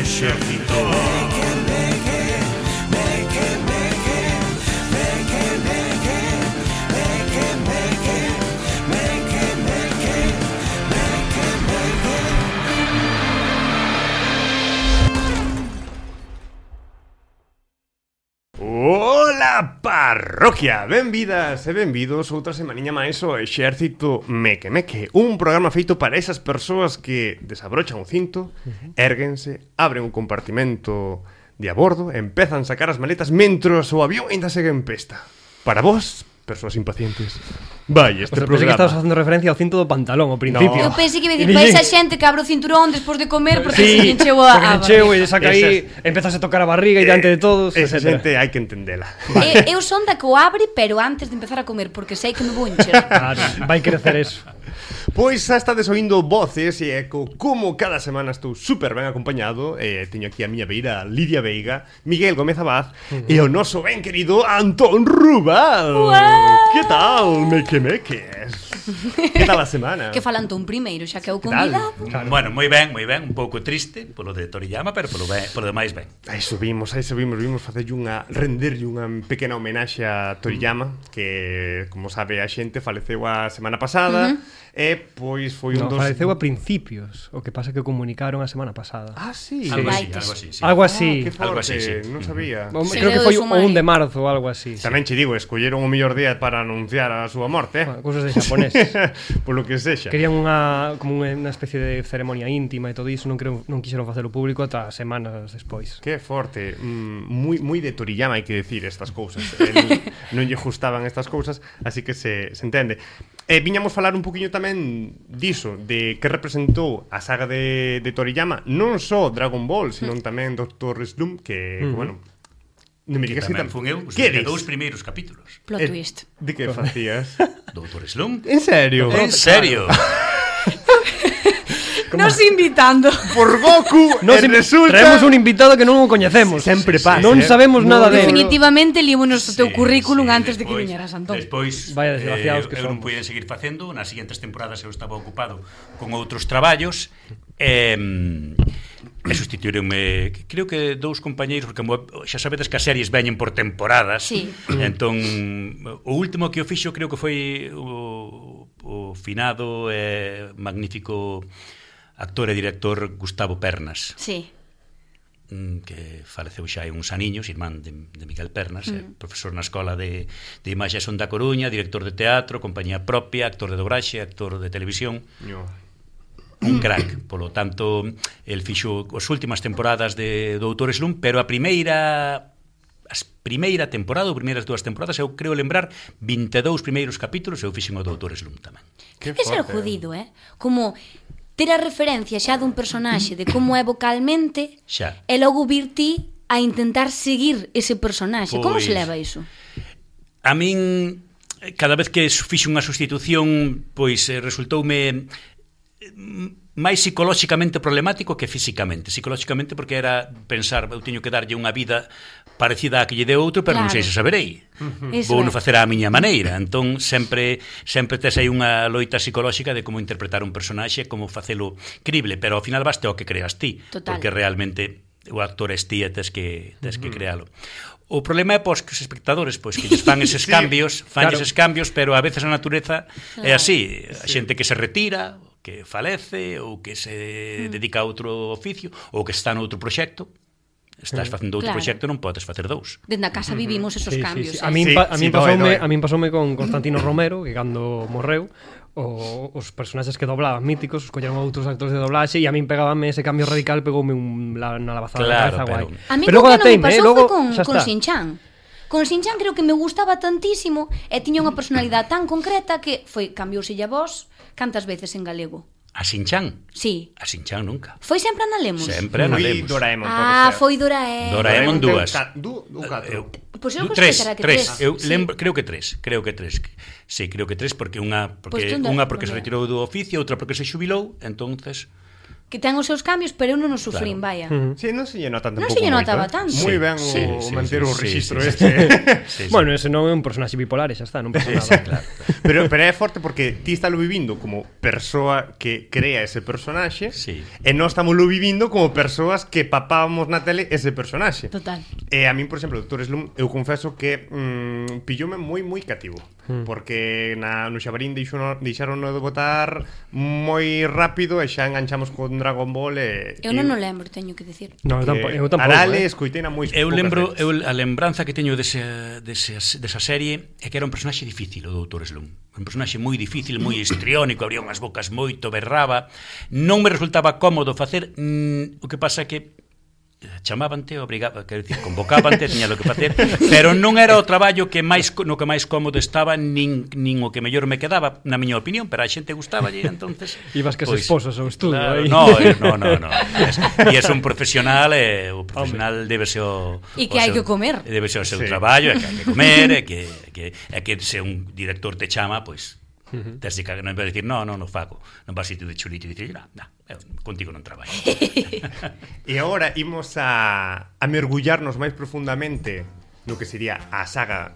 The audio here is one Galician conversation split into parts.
exército. Ola parroquia, benvidas e benvidos outra semaniña máis ao Exército Meque Meque, un programa feito para esas persoas que desabrochan o cinto, érguense, abren un compartimento de a bordo e empezan a sacar as maletas mentros o avión ainda segue en pesta. Para vos, persoas impacientes, vai este programa. Pensei que estabas facendo referencia ao cinto do pantalón ao principio. Eu pensei que iba a dicir para esa xente que abre o cinturón despois de comer porque se encheu a encheu e saca aí, empezas a tocar a barriga e diante de todos, esa etcétera. xente hai que entendela. Eu son da que o abre, pero antes de empezar a comer, porque sei que me vou encher. Claro, vai crecer eso. Pois xa estades oindo voces e como cada semana estou super ben acompañado. Teño aquí a miña beira Lidia Veiga, Miguel Gómez Abad e o noso ben querido Antón Rubal. Que tal, meque meques? Que tal a semana? Que falan Antón primeiro, xa que é o convidado. Claro. Bueno, moi ben, un pouco triste polo de Toriyama, pero polo demais ben. Aí subimos, vimos facerlle renderlle unha pequena homenaxe a Toriyama, que, como sabe a xente, faleceu a semana pasada. E pois foi un dos... faleceu a principios. O que pasa que comunicaron a semana pasada. Ah, sí. Algo así, sí. Algo así. Que forte, Algo así, sí. Non sabía. Creo que foi o 1 de marzo ou algo así. Tamén che digo, escolleron o mellor día para anunciar a súa morte, Cousas de xaponeses. Por lo que sexa. Querían como unha especie de ceremonia íntima e todo iso, non quixeron facelo público ata semanas despois. Que forte, moi de Toriyama hai que decir estas cousas. Non lle gustaban estas cousas, así que se entende. Viñamos falar un poquinho tamén diso, de que representou a saga de Toriyama, non só Dragon Ball, senón tamén Dr. Slump, que, bueno, non me digas que tamén fun eu, os dous primeiros capítulos. Plot twist. De que facías? Dr. Slump? En serio? En serio? Nos invitando. Por Goku, resulta... Traemos un invitado que non o coñecemos. Sempre pasa. Non sabemos nada de él. Definitivamente límonos o teu currículum antes de que viñeras, Antón. Despois, vaya desgraciados que eu non puiden seguir facendo. Nas seguintes temporadas eu estaba ocupado con outros traballos e sustituíronme, creo que dous compañeiros, porque xa sabedes que as series veñen por temporadas. Sí. Entón, o último que o fixo creo que foi o finado e magnífico actor e director Gustavo Pernas. Sí. Que faleceu xa hai uns aniños, irmán de Miguel Pernas, profesor na Escola de Imaxe e Son da Coruña, director de teatro, compañía propia, actor de dobraxe, actor de televisión. Un crack, polo tanto, el fixo as últimas temporadas de Dr. Slump, pero a primeira temporada, ou primeiras dúas temporadas, eu creo lembrar 22 primeiros capítulos, eu fixen o Dr. Slump tamén. Que ser jodido, como ter a referencia xa dun personaxe de como é vocalmente xa. E logo vir ti a intentar seguir ese personaxe. Como se leva iso? A min, cada vez que fixo unha sustitución, pois resultoume máis psicolóxicamente problemático que físicamente. Psicolóxicamente porque era pensar, eu teño que darlle unha vida parecida a que lle deu outro, pero non sei se saberei. Vou non facer a miña maneira. Entón sempre tes aí unha loita psicolóxica de como interpretar un personaxe, como facelo crible, pero ao final baste o que creas ti. Total. Porque realmente o actor es ti e tes que crealo. O problema é pois que os espectadores pois que lles fan eses cambios, eses cambios, pero a veces a natureza é así, a xente que se retira, que falece ou que se dedica a outro oficio ou que está noutro proxecto. Estás facendo outro proxecto, non podes facer dous. Dende a casa vivimos esos cambios. A min pasoume con Constantino Romero, que cando morreu os personaxes que doblaban míticos, os colleron outros actores de doblaxe e a min pegábame ese cambio radical, pegoume na labazada da cabeza guai. A mí pero que non me pasou foi con Shin-Chan. Con Shin-Chan creo que me gustaba tantísimo e tiña unha personalidade tan concreta que cambiouse a voz cantas veces en galego. A Shin-Chan? Sí. A Shin-Chan nunca. Foi sempre a Nalemos? Sempre a Nalemos. Foi Doraemon, foi Doraemon. Doraemon dúas. Pois eu gostei que tres. Eu lembro, creo que tres. Sí, creo que tres porque unha porque se retirou do oficio, outra porque se xubilou, entonces que ten os seus cambios, pero eu non os sufrín, vaya. Sí, non se lle nota tampouco. Non se lle notaba tanto. Moi ben o manter o registro este. Bueno, ese non é un personaxe bipolar, xa está, non pasa nada. Pero é forte porque ti estalo vivindo como persoa que crea ese personaxe e nós estamos lo vivindo como persoas que papábamos na tele ese personaxe. Total. E a min, por exemplo, Dr. Slump, eu confeso que pilloume moi cativo. Porque no Xabarín deixaron de botar moi rápido e xa enganchamos con Dragon Ball eu non o lembro, teño que decir. No, eu tampouco. Arale escoitei na moi eu lembro, a lembranza que teño desa serie é que era un personaxe difícil, o Dr. Slump. Un personaxe moi difícil, moi histriónico, abría unhas bocas moito, berraba. Non me resultaba cómodo facer, o que pasa é que chamábante, obrigaba, quero dicir, convocábante, tiña lo que facer, pero non era o traballo que máis no que máis cómodo estaba, nin o que mellor me quedaba, na miña opinión, pero a xente gustaballe, entonces ibas que se esposas ao estudio, claro, aí. No. E é un profesional, o profesional debe ser o e que hai que comer. Debe ser o seu traballo, e que hai que comer, e que se un director te chama, pois tes que non vai dicir, non fago, non vas a ir de chulito e dicir, contigo non traballo. E agora imos a mergullarnos máis profundamente no que sería a saga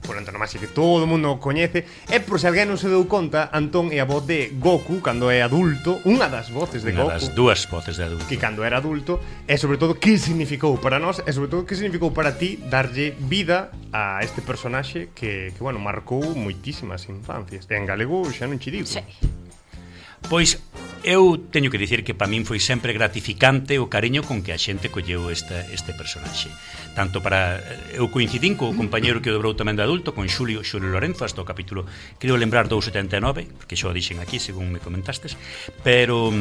por antonomasia que todo o mundo coñece. E por se alguén non se deu conta, Antón é a voz de Goku cando é adulto, unha das voces de Goku, das dúas voces de adulto, que cando era adulto, e sobre todo que significou para nós, e sobre todo que significou para ti darlle vida a este personaxe que bueno, marcou moitísimas infancias. E en galego xa non che digo. Sí. Pois eu teño que dicir que para min foi sempre gratificante o cariño con que a xente colleu este personaxe. Tanto para... Eu coincidín co compañeiro que o dobrou tamén de adulto, con Xulio Lorenzo, hasta o capítulo, creo lembrar 279, porque xo o dixen aquí, según me comentastes, pero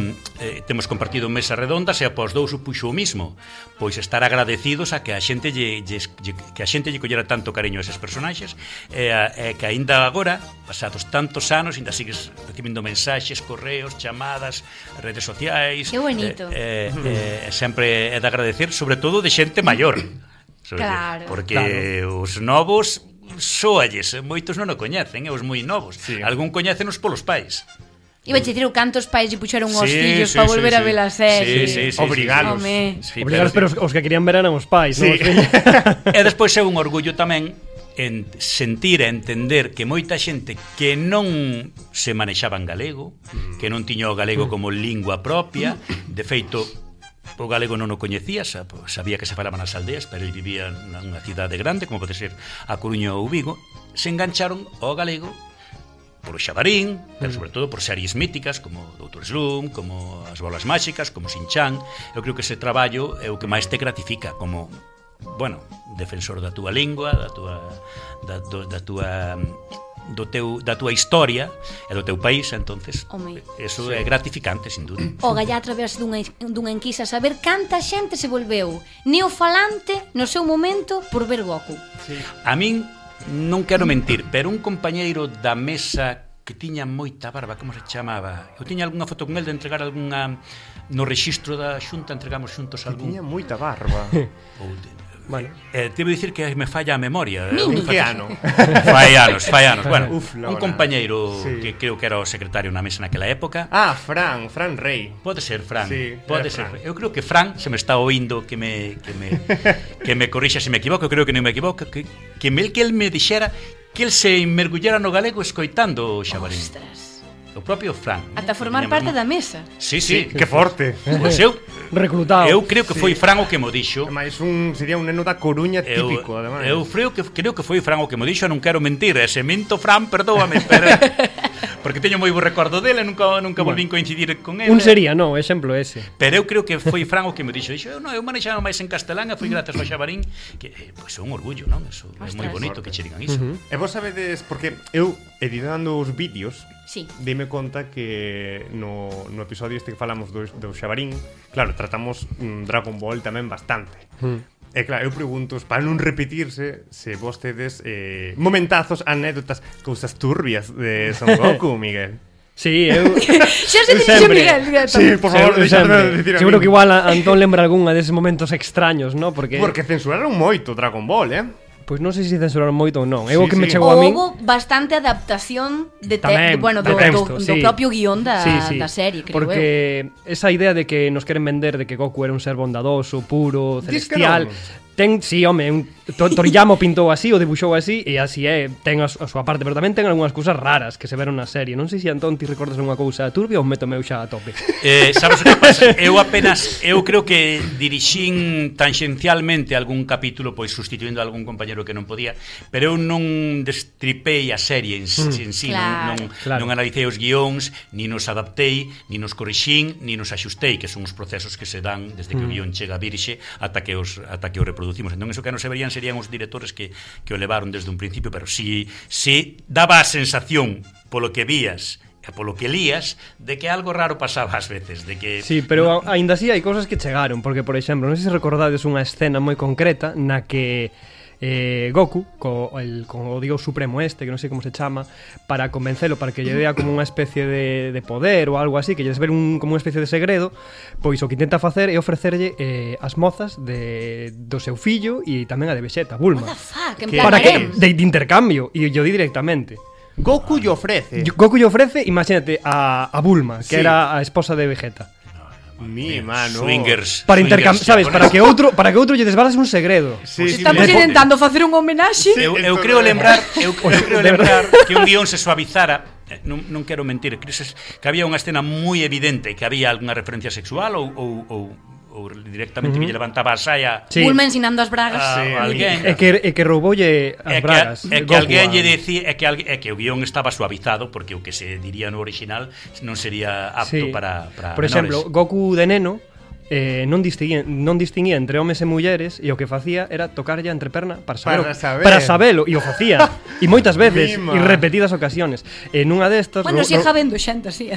temos compartido mesas redondas e após dous o puxo o mismo, pois estar agradecidos a que a xente lle collera tanto cariño a eses personaxes, e que aínda agora, pasados tantos anos, ainda sigues recibindo mensaxes, correos, chamadas, redes sociais. Que bonito. Sempre é de agradecer, sobre todo de xente maior. Claro. Porque os novos soalles, moitos non o coñecen, os moi novos. Sí. Algún coñécenos polos pais. Iba a dicir cantos pais lle puxeron os fillos para volver a ver a serie. Obrigalos. Obrigalos, pero os que querían ver eran os pais, sí. E despois é un orgullo tamén en sentir e entender que moita xente que non se manexaba en galego, que non tiña o galego como lingua propia, de feito o galego non o coñecía, sabía que se falaba nas aldeas, pero ele vivía nunha cidade grande, como pode ser a Coruña ou Vigo, se engancharon ao galego por o Xabarín, pero sobre todo por series míticas como Dr. Slump, como As Bolas Máxicas, como Shin-Chan. Eu creo que ese traballo é o que máis te gratifica como, bueno, defensor da túa lingua, da túa historia e do teu país, entonces eso é gratificante, sin duda. O galla a través dunha enquisa saber canta xente se volveu neofalante no seu momento por ver Goku. Sí. A min non quero mentir, pero un compañeiro da mesa que tiña moita barba, como se chamaba? Eu tiña algunha foto con el de entregar algunha no rexistro da Xunta, entregamos xuntos algún. Tiña moita barba. Bueno, debo dicir que me falla a memoria. Que ano? Fai anos. Bueno, un compañeiro que creo que era o secretario na mesa naquela época. Fran Rey. Pode ser Fran. Sí, pode ser. Eu creo que Fran se me está oindo que me corrixa se me equivoco, eu creo que non me equivoco, que el me dixera que el se mergullara no galego escoitando o Xabarín. Ostras. O propio Fran. Ata formar parte da mesa. Sí. Que forte. Pois eu reclutado. Eu creo que foi Fran o que mo dixo. Ademais sería un neno da Coruña típico, ademais. Eu creo que foi Fran o que mo dixo, non quero mentir, se minto Fran, perdóame, pero porque teño moi bo recordo dele, nunca volvín coincidir con ele. Un sería, no, exemplo ese. Pero eu creo que foi Fran o que me dixo, eu manexaba máis en castelán e foi grazas ao Xabarín, que pois é un orgullo, non? Eso é moi bonito que che digan iso. E vos sabedes, porque eu editando os vídeos, dime conta que no episodio este que falamos do Xabarín, claro, tratamos Dragon Ball tamén bastante. E claro, eu pregunto, para non repetirse, se vos tedes momentazos, anécdotas, cousas turbias de Son Goku, Miguel. Sí, eu xa se dixo Miguel. Sí, por favor, deixadme decir a mí. Seguro que igual Antón lembra algunha deses momentos extraños, ¿no? Porque censuraron moito Dragon Ball, Pois non sei se censuraron moito ou non. É o que me chegou a min. Houve bastante adaptación do propio guión da serie, creo. Porque esa idea de que nos queren vender de que Goku era un ser bondadoso, puro, celestial... Ten, sí, home, Toriyama pintou así, o debuxou así, e así é, ten a súa parte, pero tamén ten algunhas cousas raras que se veron na serie. Non sei se Antón ti recordas unha cousa turbia ou meto meu xa a tope. Sabes o que pasa? Eu creo que dirixín tangencialmente algún capítulo, pois sustituindo a algún compañero que non podía, pero eu non destripei a serie en sí, non analicei os guións, ni nos adaptei, ni nos corrixín, ni nos axustei, que son os procesos que se dan desde que o guión chega a virxe ata que o reproducimos. Entón, eso que non se verían serían os directores que o levaron desde un principio, pero si daba a sensación polo que vías e polo que lías de que algo raro pasaba ás veces, de que sí, pero aínda así hai cousas que chegaron, porque por exemplo, non sei se recordades unha escena moi concreta na que Goku co o dios supremo que non sei como se chama, para convencelo para que lle dea como unha especie de poder ou algo así, que lle desvele como unha especie de segredo, pois o que intenta facer é ofrecerlle as mozas do seu fillo e tamén a de Vegeta, Bulma. What the fuck? Para que de intercambio, e yo di directamente. Goku lle ofrece, imagínate, a Bulma, que era a esposa de Vegeta. Mi mano. Swingers. Para intercambiar, sabes, para que outro lle desvalas un segredo. Estamos intentando facer un homenaxe. Eu creo lembrar que un guión se suavizara. Non quero mentir, que había unha escena moi evidente que había algunha referencia sexual ou directamente que lle levantaba a saia Bulma ensinando as bragas a alguén e que rouboulle as bragas e que alguén lle dicía que o guión estaba suavizado porque o que se diría no original non sería apto para por exemplo, Goku de neno non distinguía entre homes e mulleres e o que facía era tocarlle a entreperna para sabelo e o facía e moitas veces e repetidas ocasiones en unha destas xa vendo xente así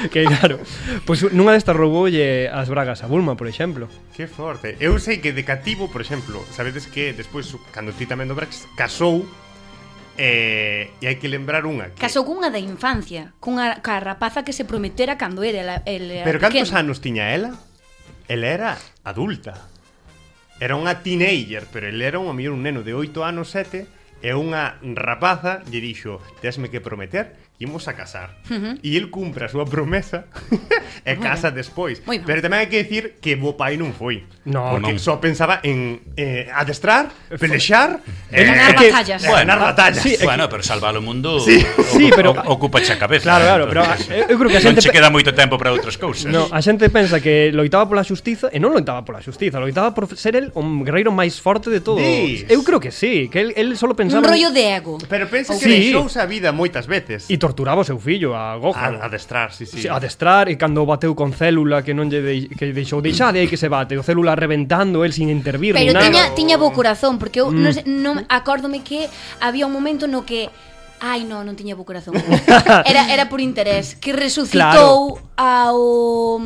que claro, pois nunha destas rouboulle as bragas a Bulma, por exemplo. Que forte. Eu sei que de cativo, por exemplo, sabedes que despois cando ti tamén do Brax casou e hai que lembrar unha que... Casou cunha da infancia, ca rapaza que se prometera cando era pero cantos anos tiña ela? Ela era adulta. Era unha teenager, pero ele era un neno de 8 anos, 7, e unha rapaza lle dixo: "Tesme que prometer que imos a casar." E el cumpre a súa promesa e casa despois. Pero tamén hai que decir que bo pai non foi. Porque só pensaba en adestrar, pelexar, ganar batallas. Ganar batallas. Bueno, pero salvar o mundo pero ocupa a cabeza. Claro, pero eu creo que a xente non che queda moito tempo para outras cousas. No, a xente pensa que loitaba pola xustiza e non loitaba pola xustiza, loitaba por ser el o guerreiro máis forte de todos. Eu creo que sí, que el solo pensaba un rollo de ego. Pero pensa que deixouse a vida moitas veces. E torturaba o seu fillo, a Gohan. Adestrar, sí. Adestrar, e cando bateu con Célula que non lle deixou deixade aí que se bate, o Célula reventando, el sin intervir. Pero tiña bo corazón, porque eu non acórdome que había un momento no que non tiña bo corazón. Era por interés, que resucitou ao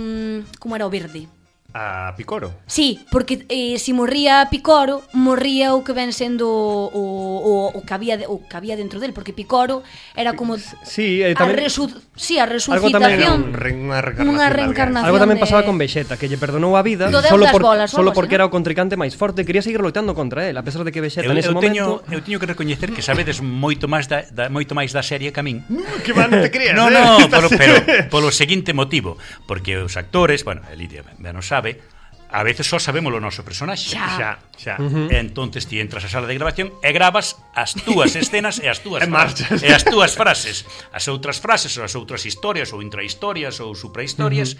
como era o verde? A Picoro. Sí, porque se morría Picoro, morría o que ven sendo o que había dentro del, porque Picoro era como tamén, a resucitación, unha reencarnación. Algo tamén pasaba con Vegeta, que lle perdonou a vida solo porque era o contrincante máis forte, quería seguir loitando contra él, a pesar de que Vegeta nese momento... Eu teño que recoñecer que sabedes moito máis da serie que a min. Que mal non te creas. No, pero polo seguinte motivo, porque os actores, bueno, Lidia ben o sabe, a veces só sabemos o noso personaxe. Xa. Entonces ti entras á sala de grabación e gravas as túas escenas e as túas frases. As outras frases ou as outras historias ou intrahistorias ou suprahistorias,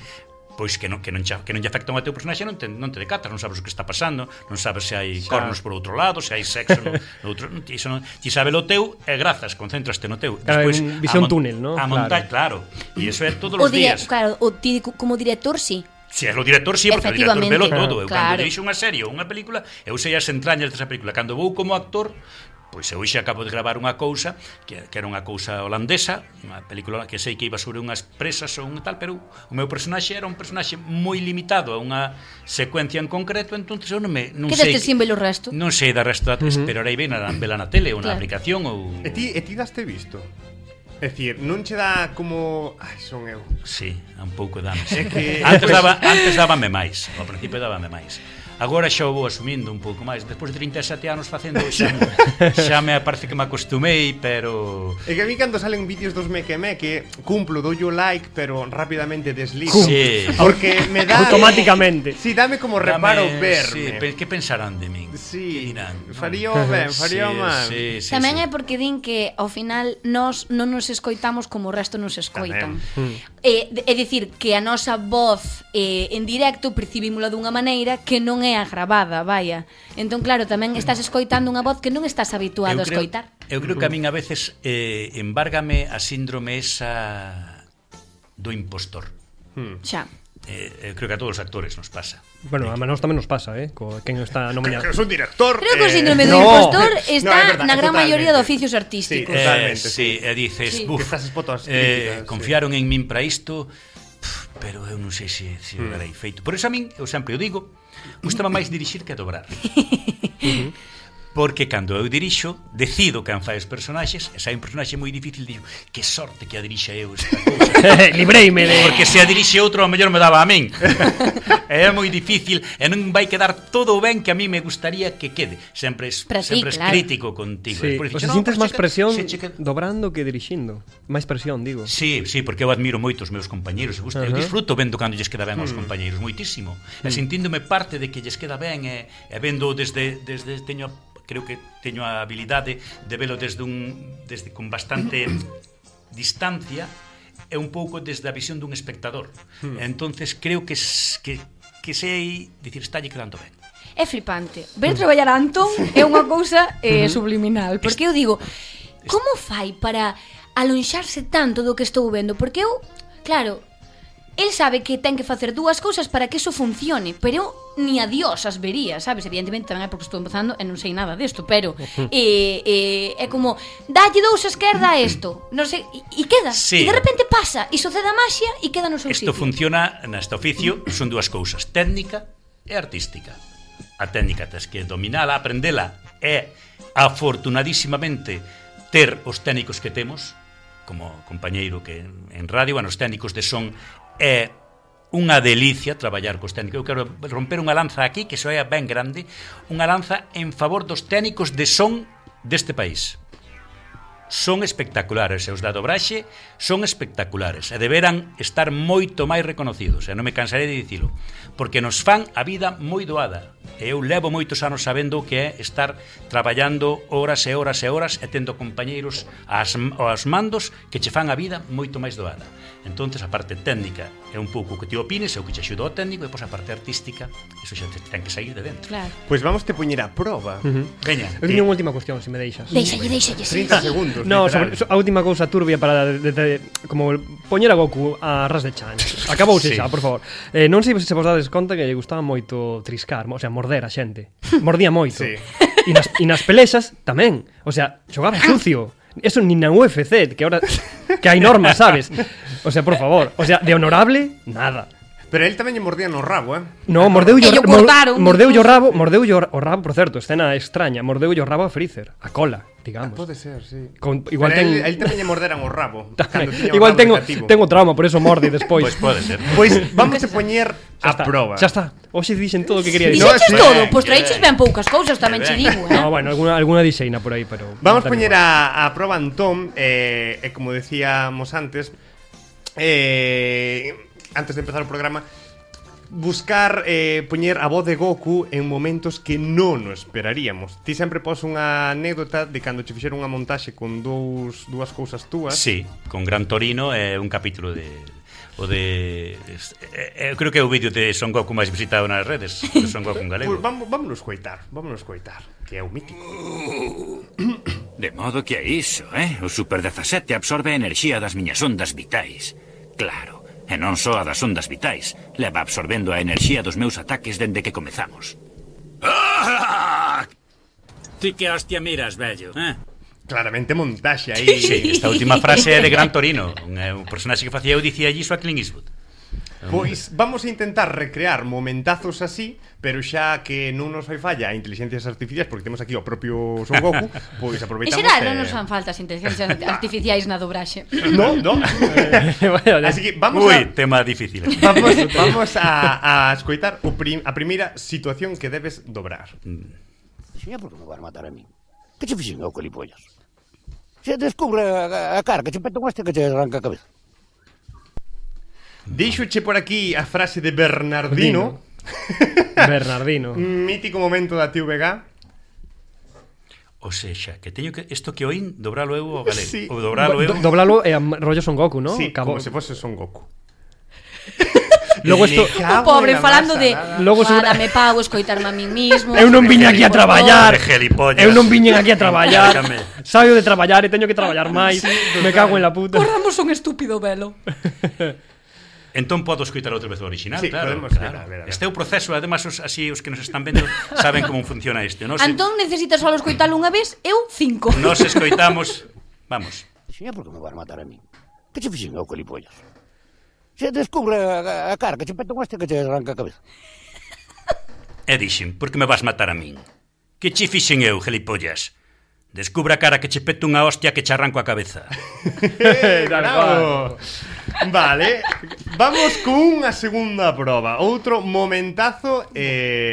pois que non lle afectan ao teu personaxe, non te decatas, non sabes o que está pasando, non sabes se hai cornos por outro lado, se hai sexo no outro, ti sabes o teu e grazas, concéntraste no teu. Despois visión túnel, ¿no? A montar, claro. E iso é todos os días. Claro, ti como director, sí. Si é o director, sí, porque o director velo todo. Eu cando dirixo unha serie ou unha película, eu sei as entrañas desa película. Cando vou como actor, pois eu xa acabo de gravar unha cousa que era unha cousa holandesa, unha película que sei que iba sobre unhas presas ou un tal, pero o meu personaxe era un personaxe moi limitado a unha secuencia en concreto, entonces eu non sei. Quedaste sin ver o resto? Non sei da resto, esperarei ben a vela na tele ou na aplicación ou... E ti daste visto? É dicir, non che dá como... Ai, son eu. Sí, un pouco dame. É que... Antes dábame máis. Ao principio dábame máis. Agora xa o vou asumindo un pouco máis. Despois de 37 anos facendo xa me parece que me acostumei, pero... É que a mí cando salen vídeos dos meque cumplo, dou yo like, pero rapidamente deslizo. Sí. Porque me dá... Automáticamente. Sí, dame como reparo verme. Sí, que pensarán de min? Sí, dirán, faría ben, faría mal. Sí, Tamén é porque din que ao final nós non nos escoitamos como o resto nos escoitan. É dicir, que a nosa voz en directo percibímola dunha maneira que non é a gravada, vaya. Entón, claro, tamén estás escoitando unha voz que non estás habituado a escoitar. Eu creo que a min a veces embárgame a síndrome esa do impostor. Xa. Eu creo que a todos os actores nos pasa. Bueno, a nós tamén nos pasa, quen está nomeado. Que son director. Creo que o síndrome do impostor está na gran maioría de oficios artísticos. Sí, totalmente. Sí, e dices, que estás expoto ás críticas, confiaron en min para isto, pero eu non sei se o darei feito. Por eso a min, eu sempre o digo, gustaba máis dirixir que dobrar. Porque cando eu dirixo, decido quen fai os personaxes, e sai un personaxe moi difícil, digo, que sorte que a dirixa eu esta cousa. Libreime de... Porque se a dirixe outro, ao mellor me daba a min. É moi difícil, e non vai quedar todo o ben que a mí me gustaría que quede. Sempre es crítico contigo. Sí. O sea, sintes máis presión dobrando que dirixindo. Máis presión, digo. Sí, porque eu admiro moito os meus compañeiros. Eu disfruto vendo cando lles queda ben aos compañeiros, moitísimo. E sentíndome parte de que lles queda ben, e vendo desde creo que teño a habilidade de velo desde con bastante distancia e un pouco desde a visión dun espectador. Entonces creo que sei dicir, estalle quedando ben. É flipante. Ver traballar a Antón é unha cousa subliminal, porque eu digo, como fai para alonxarse tanto do que estou vendo? Porque eu, claro, el sabe que ten que facer dúas cousas para que eso funcione, pero eu ni a Dios as vería, sabes? Evidentemente tamén é porque estou empezando e non sei nada desto, pero é como, dalle dous a esquerda a isto, non sei, e queda, e de repente pasa, e sucede a maxia e queda no seu sitio. Isto funciona neste oficio, son dúas cousas, técnica e artística. A técnica tes que dominala, aprendela, e afortunadísimamente ter os técnicos que temos, como compañeiro que en radio, os técnicos de son, é unha delicia traballar cos técnicos. Eu quero romper unha lanza aquí que soa ben grande, unha lanza en favor dos técnicos de son deste país. Son espectaculares, e os da dobraxe son espectaculares, e deberan estar moito máis reconocidos, e non me cansaré de dicilo, porque nos fan a vida moi doada. E eu levo moitos anos sabendo que é estar traballando horas e horas e horas e tendo compañeiros aos mandos que che fan a vida moito máis doada. Entonces a parte técnica é un pouco que te opines, é o que te axuda ao técnico, e depois a parte artística, eso xa te ten que sair de dentro. Claro. Pois vamos te poñer a prova. Veña. Eu teño unha última cuestión, se me deixas. Deixalle. 30 segundos. No, sobre a última cousa turbia para como poñer a Goku a ras de chan. Acabouse xa, por favor. Non sei se vos dades conta que lle gustaba moito triscar, o sea, morder a xente. Mordía moito. Sí. E nas pelexas tamén. O sea, xogaba sucio. Eso ni na UFC, que ahora que hai normas, sabes? O sea, por favor, o sea, de honorable, nada. Pero él tamén lle mordía no rabo, No, mordeu o rabo, por certo, escena extraña, mordeu o rabo a Freezer, a cola, digamos. Pode ser, sí. Igual él tamén lle morderan o rabo. Igual tengo trauma, por eso morde despois. Pois pode ser. Pois vamos a poñer a prova. Xa está. Hoxe dixen todo o que quería dicir. Dixeches todo, pois traíches ben poucas cousas, tamén che digo, No, bueno, alguna dixeina por aí, pero vamos a poñer a prova Antón, como decíamos antes, antes de empezar o programa, buscar poñer a voz de Goku en momentos que non o esperaríamos. Ti sempre pos unha anécdota de cando che fixeron unha montaxe con dúas cousas túas. Sí, con Gran Torino é un capítulo creo que é o vídeo de Son Goku máis visitado nas redes, de Son Goku en galego. Pues vámonos coitar, que é o mítico. De modo que é iso, O Super 17 absorbe a enerxía das miñas ondas vitais. Claro, e non só a das ondas vitais, leva absorbendo a enerxía dos meus ataques dende que comezamos. Ti que hostia miras, vello, Claramente montaxe aí. Sí, esta última frase é de Gran Torino, un personaxe que facía eu dicía iso a Clint Eastwood. Pois vamos a intentar recrear momentazos así, pero xa que non nos fai falla a inteligencias artificiais, porque temos aquí o propio Son Goku, pois aproveitamos. En xeral non nos fan falta as inteligencias artificiais na dobraxe. No. Así que vamos tema difícil. Vamos a escoitar a primeira situación que debes dobrar. Señor, por que me van a matar a mí? Que che fixen eu, colipollas? Se descubre a cara, que che peta un este que che arranca a cabeza. Díxoche por aquí a frase de Bernardino. Bernardino. Mítico momento da TVG. O sexa, que teño que isto que oín dobralo eu ao galego. Sí. Ou dobralo eu. Doblalo é rollo Son Goku, ¿no? Sí, como se fose Son Goku. Logo isto O pobre falando de Logo dame pago, escoitarme a min mismo. Eu non viña aquí a traballar. Gelipollas. Eu non viñen aquí a traballar. Saio de traballar e teño que traballar máis. Me cago en la puta. Corramos un estúpido velo. Entón podo escoitar outra vez o original, Sí, claro. podemos, claro. a ver. Este é o proceso, además, así os que nos están vendo saben como funciona isto, non? Antón necesita só escoitalo unha vez, eu 5. Nos escoitamos, vamos. Señor, por que me van a matar a mí? Que che fixen eu, colipollas? Se descubre a cara, que che peta un este que che arranca a cabeza. E dixen, por que me vas matar a min? Que che fixen eu, gelipollas? Descubra a cara que che peto unha hostia que che arranco a cabeza. Bravo. Vale, vamos cunha segunda proba. Outro momentazo.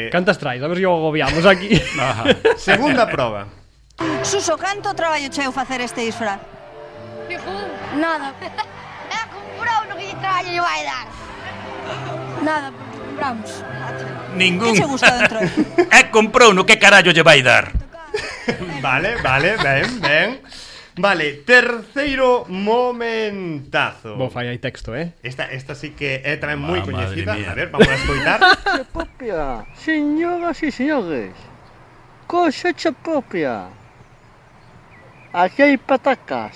Cantas traes? A ver se o agobiamos aquí. Segunda proba. Suso, canto traballo cheu facer este disfraz? Nada. Comprou no que lle traballo lle vai dar. Nada, porque compramos. Ningún. Que che gusta dentro? Comprou no que carallo lle vai dar. Vale, ben. Vale, terceiro momentazo. Bo, fai aí texto, Esta sí que é tamén moi Madre coñecida. mía. A ver, vamos a escoitar. Propia, señoras y señores, cosecha propia. Aquí hay patacas,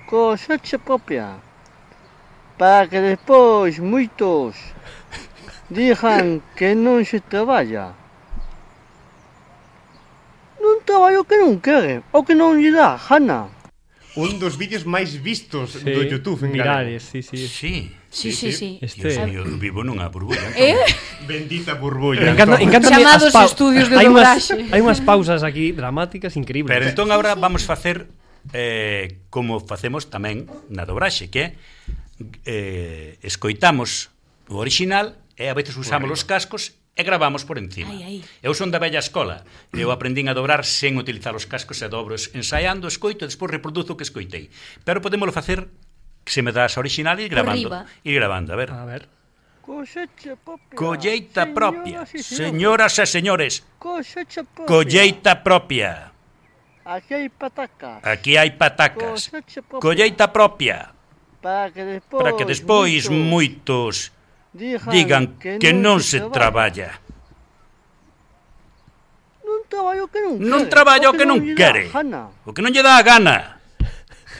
cosecha propia, para que despois moitos digan que non se traballa. Non traballo que non quere, o que non lle dá gana. Un dos vídeos máis vistos do YouTube en virales, galego. sí. Sí. Dios mío, vivo nunha burbulla. Bendita burbulla. Encántame Chamados estudios de dobraxe. Hai unhas pausas aquí dramáticas increíbles. Pero entón agora vamos facer como facemos tamén na dobraxe, que é escoitamos o original e a veces usamos os cascos e gravamos por encima. Eu son da vella escola. Eu aprendín a dobrar sen utilizar os cascos e dobro ensaiando, escoito e despois reproduzo o que escoitei. Pero podémolo facer que se me das a original e ir gravando. Ir gravando, a ver. Colleita propia. Señoras e señores. Cosecha propia. Colleita propia. Aquí hai patacas. Aquí hai patacas. Colleita propia. Para que despois moitos digan que non se traballa. Non traballo que non quere. O que non lle dá a gana.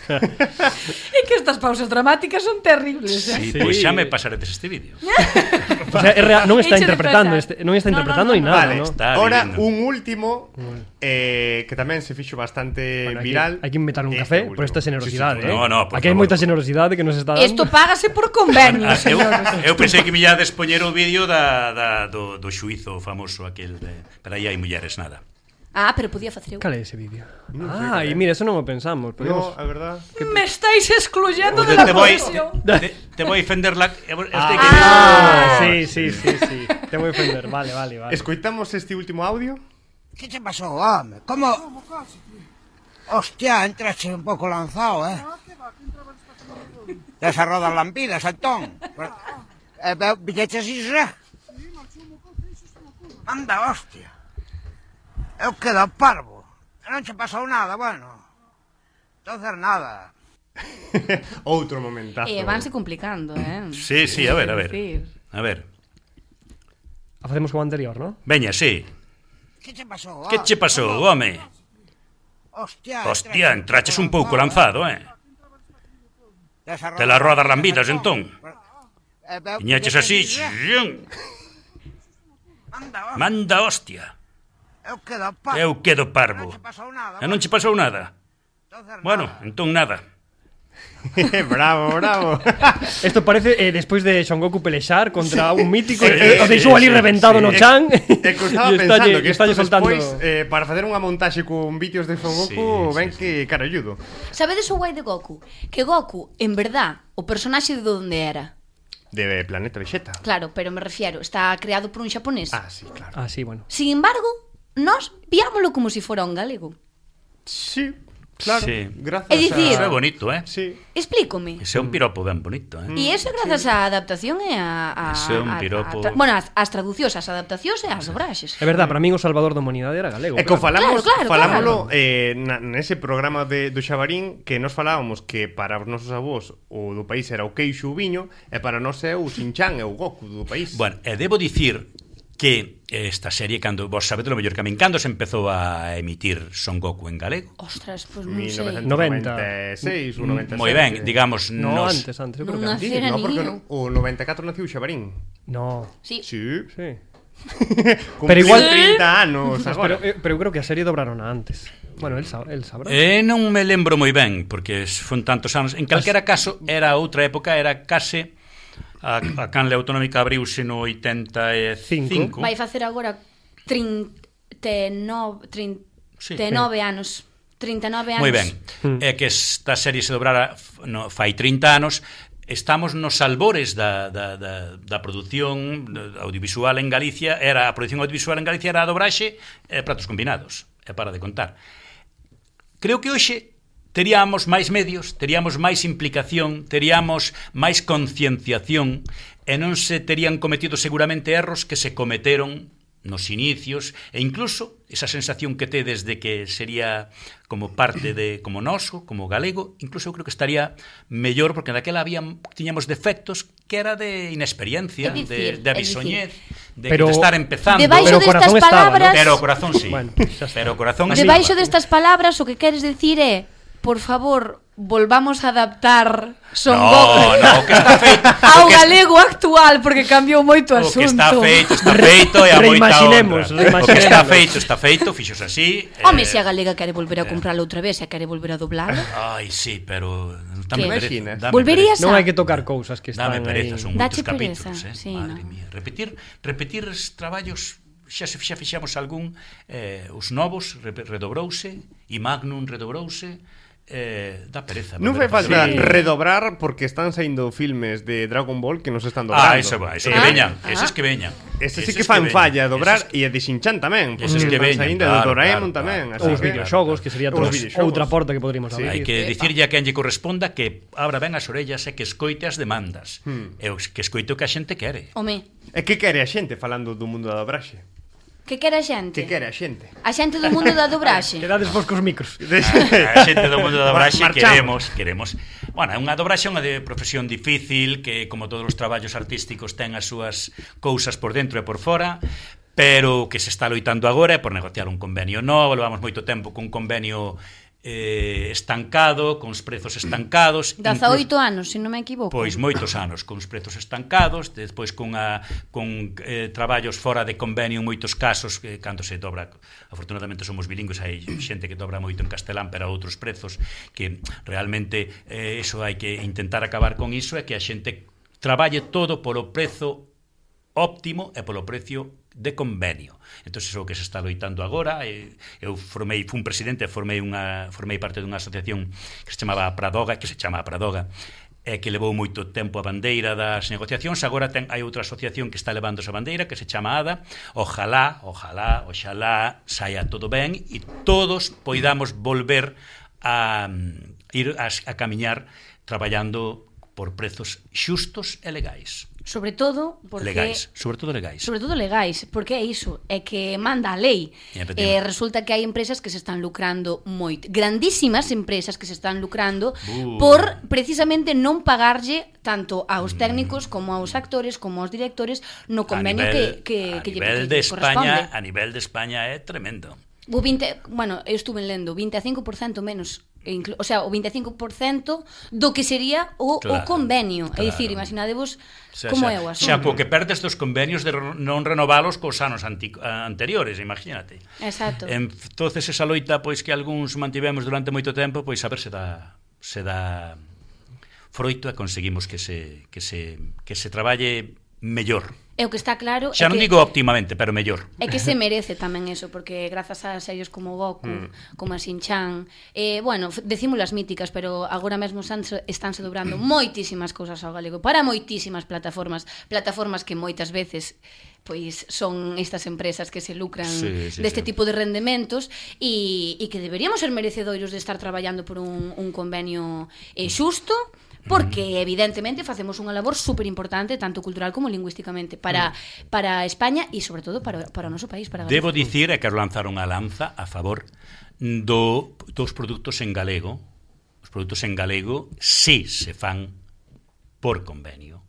É que estas pausas dramáticas son terribles, Sí, pois xa me pasaredes este vídeo. O sea, non está interpretando, non está interpretando ni nada, vale, ¿no? Ahora un último que tamén se fixo bastante viral. Hai que inventar un café por esta generosidade, No, aquí hai moita generosidade que nos está dando. Isto págase por convenio, señores. Eu pensei que me ia despoñer o vídeo do xuizo famoso aquel pero aí hai mulleres nada. Pero podía facer eu. Cal é ese vídeo? E mira, eso non o pensamos. No, a verdad. Me estáis excluyendo de la profesión. Te voy a ofender la... Sí. Te voy a ofender, vale. Escoitamos este último audio. Que te pasou, home? Como... Hostia, entraste un pouco lanzado, Desas rodas lampidas, Antón. Villeches iso? Anda, hostia. Eu quedo parvo. Non che pasou nada, bueno. Entonces nada. Outro momentazo. Vanse complicando, Sí, a ver. A ver. Facemos como anterior, ¿no? Veña, sí. Que che pasou, Que che pasou, home? Hostia, entraches un pouco lanzado, Te las rodas lambidas, entón. Viñeches así, manda hostia. Eu quedo parvo. E non che pasou nada? Bueno, entón nada. Bravo, bravo. Esto parece despois de Son Goku pelexar contra un mítico o deixou ali reventado no chan. E que estaba pensando que isto despois para facer unha montaxe con vídeos de Son Goku ven que caralludo. Sabedes o guai de Goku? Que Goku, en verdad, o personaxe de onde era? De Planeta Vegeta. Claro, pero me refiero, está creado por un xaponés. Sí, claro. Sí, bueno. Sin embargo, nós viámolo como se fora un galego. Sí, claro. Sí. Grazas É dicir, Eso é bonito, Sí. Explícome. Ese é un piropo ben bonito, E iso é grazas á adaptación e Ese é un piropo. bueno, as traducións, as adaptacións e as dobraxes. É verdad, para min o salvador da humanidade era galego. E que falámoslo claro. Nese programa do Xabarín, que nos falábamos que para os nosos avós o do país era o queixo o viño, e para nós é o Shin-chan e o Goku do país. Bueno, e debo dicir que esta serie, cando vos sabedes lo mellor que a min, cando se empezou a emitir Son Goku en galego? Ostras, pois non sei. 1996 ou 97. Moi ben, digamos, no, antes, eu creo que antes. No, porque non? O 94 naciu Xabarín. No. Sí. Pero igual 30 anos agora. Pero eu creo que a serie dobraron antes. Bueno, el sabrá. Non me lembro moi ben, porque fon tantos anos. En calquera caso, era outra época, era case a canle autonómica abriuse no 85. Vai facer agora 39 anos. 39 anos. Moi ben. É que esta serie se dobrara fai 30 anos. Estamos nos albores da produción audiovisual en Galicia. A produción audiovisual en Galicia era a dobraxe e pratos combinados. É para de contar. Creo que hoxe teríamos máis medios, teríamos máis implicación, teríamos máis concienciación e non se terían cometido seguramente erros que se cometeron nos inicios, e incluso esa sensación que tedes de que sería como parte de, como noso, como galego, incluso eu creo que estaría mellor, porque daquela tiñamos defectos que era de inexperiencia, de avisoñez, de estar empezando. Debaixo destas palabras, pero o corazón sí. Bueno, pero o corazón debaixo destas palabras o que queres decir é, por favor, volvamos a adaptar Son Goku que está feito ao galego actual, porque cambiou moito o asunto. O que está feito e a moita honra. O que está feito, fixos así. Home, se a galega quere volver a comprarlo outra vez, se quere volver a doblarlo. Ai, sí, pero dame pereza. Volverías a... Non hai que tocar cousas que están aí. Dame pereza, son moitos capítulos, sí, madre mía. Repetir os traballos, xa fixamos algún, os novos redobrouse, e Magnum redobrouse. Da pereza. Non fai falta redobrar, porque están saindo filmes de Dragon Ball que nos están dobrando. Eso que veñan, eses que veñan. Eses sí que fan falla dobrar, e de Shin-chan tamén, porque eses que están saindo de Doraemon tamén. Os videoxogos, que sería outra porta que poderíamos abrir. Hai que dicirlle a quen lle corresponda que abra ben as orellas e que escoite as demandas, e que escoite o que a xente quere. Home. E que quere a xente falando do mundo da dobraxe? Que quere a xente? Que quere a xente? A xente do mundo da dobraxe. Quedades vos cos micros. A xente do mundo da dobraxe queremos. Bueno, unha dobraxe é unha profesión difícil, que como todos os traballos artísticos ten as súas cousas por dentro e por fora, pero que se está loitando agora é por negociar un convenio novo. Levamos moito tempo con un convenio estancado, con os prezos estancados. 18 anos, se non me equivoco. Pois moitos anos, con os prezos estancados, despois con traballos fora de convenio en moitos casos, cando se dobra, afortunadamente somos bilingües, hai xente que dobra moito en castelán, pero a outros prezos, que realmente iso hai que intentar acabar con iso, é que a xente traballe todo polo prezo óptimo e polo precio de convenio. Entón, iso que se está loitando agora. Eu fui un presidente, formei parte dunha asociación que se chama Pradoga, que levou moito tempo a bandeira das negociacións. Agora hai outra asociación que está levando esa bandeira, que se chama ADA. Ojalá saia todo ben e todos poidamos volver a ir a camiñar traballando por prezos xustos e legais. Sobre todo legais, porque é iso, é que manda a lei. Resulta que hai empresas que se están lucrando moito, grandísimas empresas que se están lucrando por precisamente non pagarlle tanto aos técnicos como aos actores como aos directores no convenio que lle corresponde. A nivel de España é tremendo. Bueno, eu estuve lendo 25% menos, o sea, o 25% do que sería o convenio. É dicir, imaginadevos como é o asunto. Xa, co que perdes dos convenios de non renovalos cos anos anteriores, imagínate. Exacto. Entonces esa loita, pois, que algúns mantivemos durante moito tempo, pois a ver se dá froito e conseguimos que se traballe mellor. É o que está claro. Xa non digo óptimamente, pero mellor. É que se merece tamén eso, porque grazas a series como Goku, como a Shin-Chan, bueno, decimos as míticas, pero agora mesmo estánse dobrando moitísimas cousas ao galego, para moitísimas plataformas que moitas veces pois son estas empresas que se lucran deste tipo de rendementos e que deberíamos ser merecedoiros de estar traballando por un convenio xusto, porque evidentemente facemos unha labor super importante tanto cultural como lingüísticamente para España e sobre todo para o noso país, para Galicia. Debo dicir, quero lanzar unha lanza a favor dos produtos en galego. Os produtos en galego si se fan por convenio.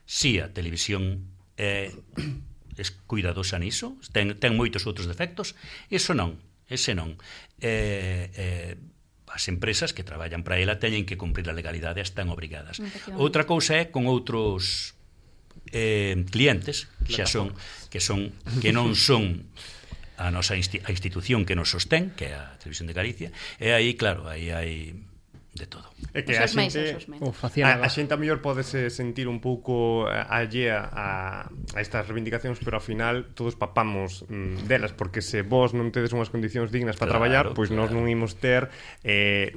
Si a televisión é cuidadosa niso, ten moitos outros defectos, ese non. As empresas que traballan para ela teñen que cumprir a legalidade, están obrigadas. Outra cousa é con outros clientes que non son a nosa institución que nos sostén, que é a Televisión de Galicia, e aí, claro, aí hai de todo. É que a xente a mellor podese sentir un pouco allea a estas reivindicacións, pero ao final todos papamos delas, porque se vos non tedes unhas condicións dignas para traballar, pois nós non imos ter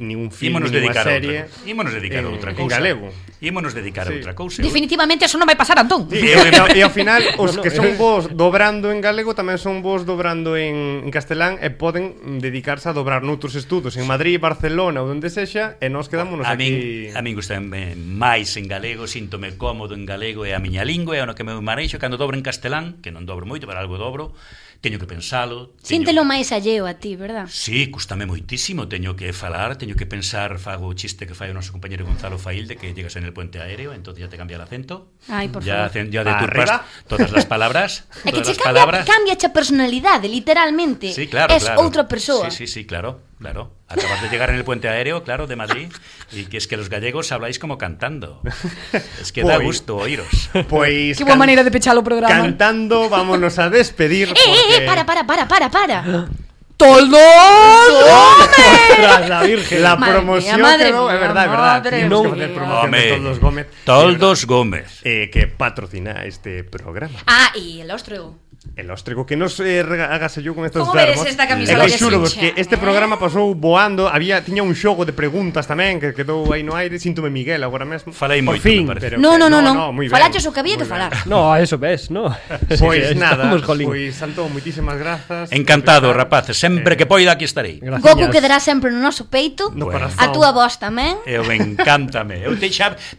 ningún film, ninguna serie. Ímonos dedicar a outra cousa. En galego. Ímonos dedicar a outra cousa. Definitivamente eso non vai pasar, Antón. E ao final os que son vos dobrando en galego tamén son vos dobrando en castelán e poden dedicarse a dobrar noutros estudos en Madrid, Barcelona ou onde sexa, e nós quedámonos aquí. A min gustame máis en galego, síntome cómodo en galego, é a miña lingua, é o que me mareixo. Cando dobro en castelán, que non dobro moito, pero algo dobro, teño que pensalo. Síntelo máis alleo a ti, verdad? Sí, custame moitísimo, teño que falar, teño que pensar, fago o chiste que fai o noso compañero Gonzalo Failde, que llegas en el puente aéreo, entonces ya te cambia el acento. Ay, por favor. Ya deturpas todas las palabras. É que che cambia a personalidade, literalmente. Sí, claro, es outra persoa. Sí, claro. Acabas de llegar en el puente aéreo, claro, de Madrid, y que es que los gallegos habláis como cantando. Es que da gusto oíros. Pues qué buena manera de pechar o programa. Cantando, vámonos a despedir. Para. ¡Toldos Gómez! La Virgen. La promoción quedó, es verdad. Tenemos que hacer promoción de Toldos Gómez. Toldos Gómez. Que patrocina este programa. Y el Óstrego. El Óstrego, que nos hágase yo con estos verbos. Como veres esta camisola que xuro que este programa pasou voando. Tiña un xogo de preguntas tamén que quedou aí no aire. Síntome Miguel agora mesmo. Falei moito, me parece. No. Falaches o que había que falar. No, eso ves, no. Pois nada, pois Antón, moitísimas grazas. Encantado, rapaces. Sempre que poida aquí estarei. Goku quedará sempre no noso peito. A túa voz tamén. Encántame.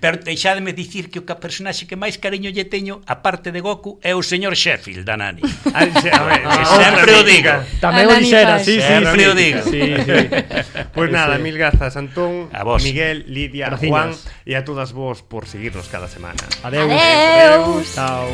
Pero deixademe dicir que o personaxe que máis cariño lle teño, aparte de Goku, é o señor Sheffield, da Nani. Sempre o digo. Tamén o dixera, sempre o digo. Pois nada, mil grazas, Antón, a vos, Miguel, Lidia, Juan e a todas vos por seguirnos cada semana. Adeus. Chao.